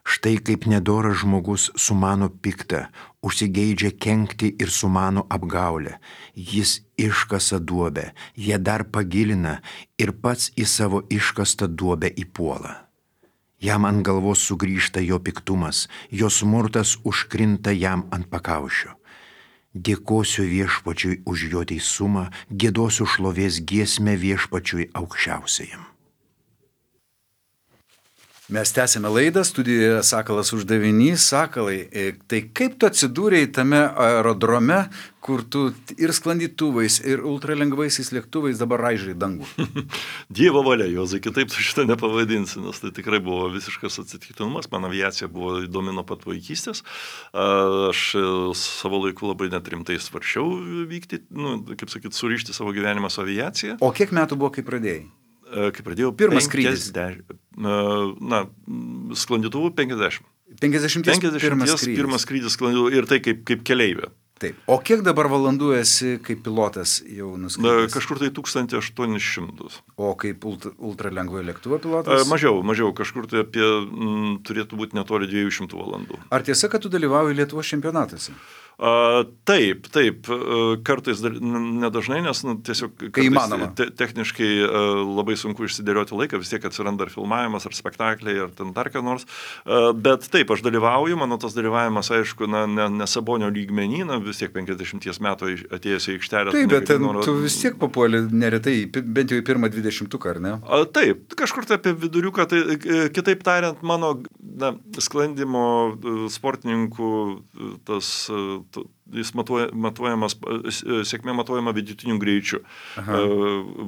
Štai kaip nedoras žmogus sumano piktą, užsigeidžia kenkti ir sumano apgaulę. Jis iškasa duobę, ją dar pagilina ir pats į savo iškastą duobę įpuola. Jam ant galvos sugrįžta jo piktumas, jo smurtas užkrinta jam ant pakaušio. Dėkosiu Viešpačiui už jo teisumą, giedosiu šlovės giesmę Viešpačiui aukščiausiajam. Mes tęsime laidą, studijoje Sakalas uždavinys. Sakalai, tai kaip tu atsidūrei tame aerodrome, kur tu ir sklandytuvais, ir ultralengvaisiais lėktuvais dabar raižai dangų? Dievo valia, Juozai, kitaip tu šitą nepavadinsi, nes tai tikrai buvo visiškas atsitiktinumas. Man aviacija buvo įdomi nuo pat vaikystės. Aš savo laiku labai net rimtai svarsčiau vykti, nu, kaip sakyt, surišti savo gyvenimą su aviacija. O kiek metų buvo, kai pradėjai? Kai pradėjau pirmas skrydis. Na, sklandytuvų penkiasdešimt. penkiasdešimties pirmas skrydis. Pirmas skrydis sklandytuvų ir tai kaip, kaip keleivė. Taip. O kiek dabar valandų esi kaip pilotas jau nuskridęs? Kažkur tai tūkstantį aštuonis šimtus. O kaip ultra, ultralengvojo lėktuvo pilotas? Mažiau, mažiau. Kažkur tai apie m, turėtų būti netoli dviejų šimtų valandų. Ar tiesa, kad tu dalyvauji Lietuvos čempionatuose? A, taip, taip, kartais nedažnai, nes nu, tiesiog te, techniškai a, labai sunku išsidėlioti laiką, vis tiek atsiranda ar filmavimas, ar spektakliai, ar ten dar ką nors, a, bet taip, aš dalyvauju, mano tas dalyvavimas, aišku, na, ne, ne Sabonio lygmenį, na, vis tiek penkiasdešimties metų atėjęs į aikštelę. Taip, bet ten, noro... tu vis tiek papuoli neretai, bent jau į pirmą dvidešimtuką, ar ne? A, taip, kažkur tai apie viduriuką, tai kitaip tariant, mano na, sklandymo sportininkų tas jis matuoja, matuojamas, sėkmė matuojama vidutiniu greičiu. Aha.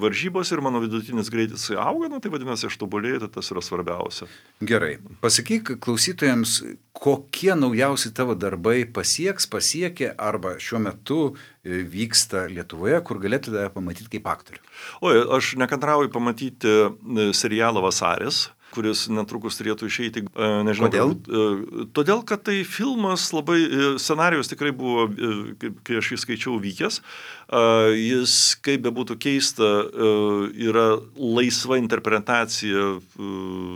Varžybos ir mano vidutinis greitis auga, nu, tai vadinasi, aš tobulėju, tai tas yra svarbiausia. Gerai. Pasakyk klausytojams, kokie naujausi tavo darbai pasieks, pasiekė arba šiuo metu vyksta Lietuvoje, kur galėtų tave pamatyti kaip aktorių. Oi, aš nekantrauju pamatyti serialą Vasaris, kuris netrukus turėtų išeiti, nežinau. Kodėl? Galbūt, todėl, kad tai filmas labai, scenarijus tikrai buvo, kai aš jį skaičiau, vykęs. Jis, kaip bebūtų keista, yra laisva interpretacija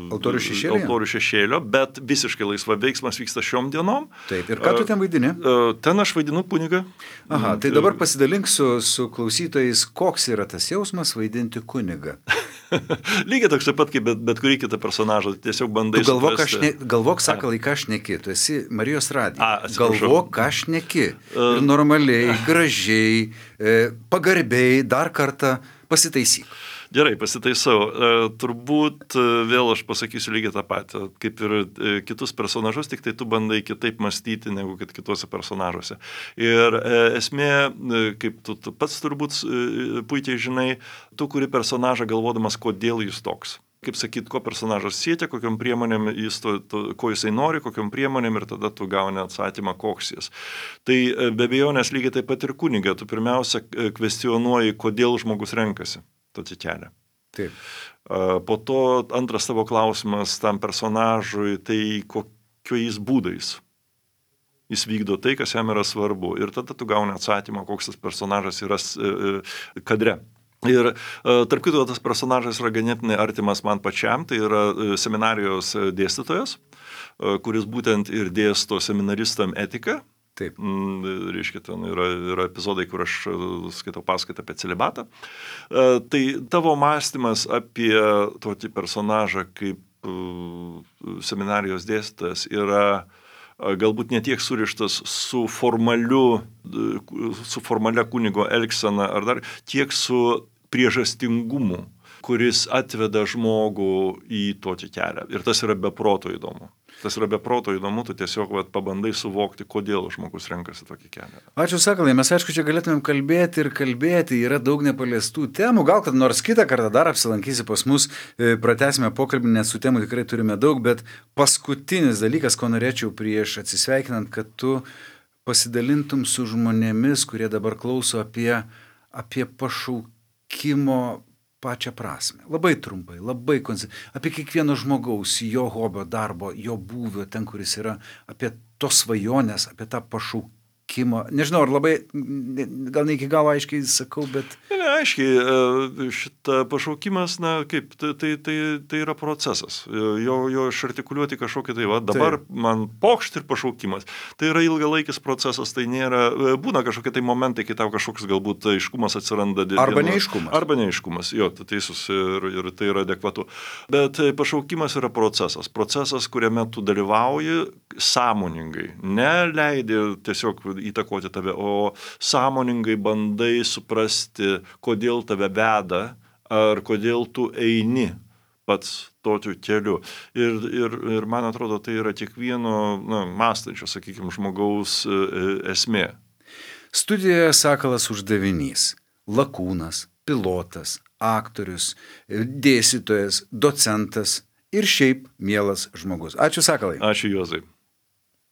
Altorių šešėlio, Altorių šešėlio, bet visiškai laisva, veiksmas vyksta šiom dienom. Taip, ir ką tu ten vaidini? Ten aš vaidinu kunigą. Aha, tai dabar pasidalink su, su klausytojais, koks yra tas jausmas vaidinti kunigą. Lygiai toks pat, kaip bet, bet kurį kitą personažą, tiesiog bandai tu galvok, suprasti. Ne, galvok, sakalai, ką šneki, tu esi Marijos radija. A, galvok, ką šneki. Ir normaliai, gražiai, pagarbiai, dar kartą pasitaisyk. Gerai, pasitaisau. Turbūt vėl aš pasakysiu lygiai tą patį, kaip ir kitus personažus, tik tai tu bandai kitaip mąstyti negu kad kituose personažuose. Ir esmė, kaip tu, tu pats turbūt puikiai žinai, tu kuri personažą galvodamas, kodėl jis toks. Kaip sakyt, ko personažas siekia, kokiam priemonėm jis to, to, ko jisai nori, kokiam priemonėm ir tada tu gauni atsakymą, koks jis. Tai be abejonės lygiai taip pat ir kunigą. Tu pirmiausia kvestionuoji, kodėl žmogus renkasi tokį kelią. Taip. Po to antras tavo klausimas tam personažui, tai kokiais būdais jis vykdo tai, kas jam yra svarbu. Ir tada tu gauni atsakymą, koks tas personažas yra kadre. Ir tarp kito, tas personažas yra ganėtinai artimas man pačiam, tai yra seminarijos dėstytojas, kuris būtent ir dėsto seminaristam etiką. Taip. Reiškia, ten yra, yra epizodai, kur aš skaitau paskaitą apie celibatą. Tai tavo mąstymas apie tokį personažą kaip seminarijos dėstytojas yra galbūt ne tiek surištas su formaliu, su formalia kunigo elgsena, ar dar tiek su priežastingumu, kuris atveda žmogų į tokį kelią. Ir tas yra be proto įdomu. Tas yra be proto įdomu, tu tiesiog vat, pabandai suvokti, kodėl žmogus renkasi tokį kelią. Ačiū, sakalai, mes aišku, čia galėtumėm kalbėti ir kalbėti, yra daug nepaliestų temų, gal kad nors kitą kartą dar apsilankysi pas mus, pratęsime pokalbį, nes su temų tikrai turime daug, bet paskutinis dalykas, ko norėčiau prieš atsisveikinant, kad tu pasidalintum su žmonėmis, kurie dabar klauso apie, apie pašaukimo pačią prasme. Labai trumpai, labai konce... apie kiekvieno žmogaus, jo hobio, darbo, jo būvio, ten, kuris yra, apie tos svajonės, apie tą pašaukimą. Nežinau, ar labai, gal ne iki galo aiškiai sakau, bet... Ne, aiškiai, šitą pašaukimas, na, kaip, tai, tai, tai, tai yra procesas. Jo, jo išartikuliuoti kažkokį tai, va, dabar tai. Man pokšt ir pašaukimas. Tai yra ilgalaikis procesas, tai nėra, būna kažkokie tai momentai, kai tau kažkoks galbūt aiškumas atsiranda. Arba neaiškumas. Arba neaiškumas, jo, tu teisus ir, ir tai yra adekvatu. Bet pašaukimas yra procesas. Procesas, kuriame tu dalyvauji sąmoningai. Neleidi tiesiog įtakoti tave, o sąmoningai bandai suprasti, kodėl tave veda, ar kodėl tu eini pats tokiu keliu. Ir, ir, ir man atrodo, tai yra kiekvieno na, mąstančio, sakykime, žmogaus esmė. Studijoje Sakalas uždavinys. Lakūnas, pilotas, aktorius, dėstytojas, docentas ir šiaip mielas žmogus. Ačiū, Sakalai. Ačiū, Juozai.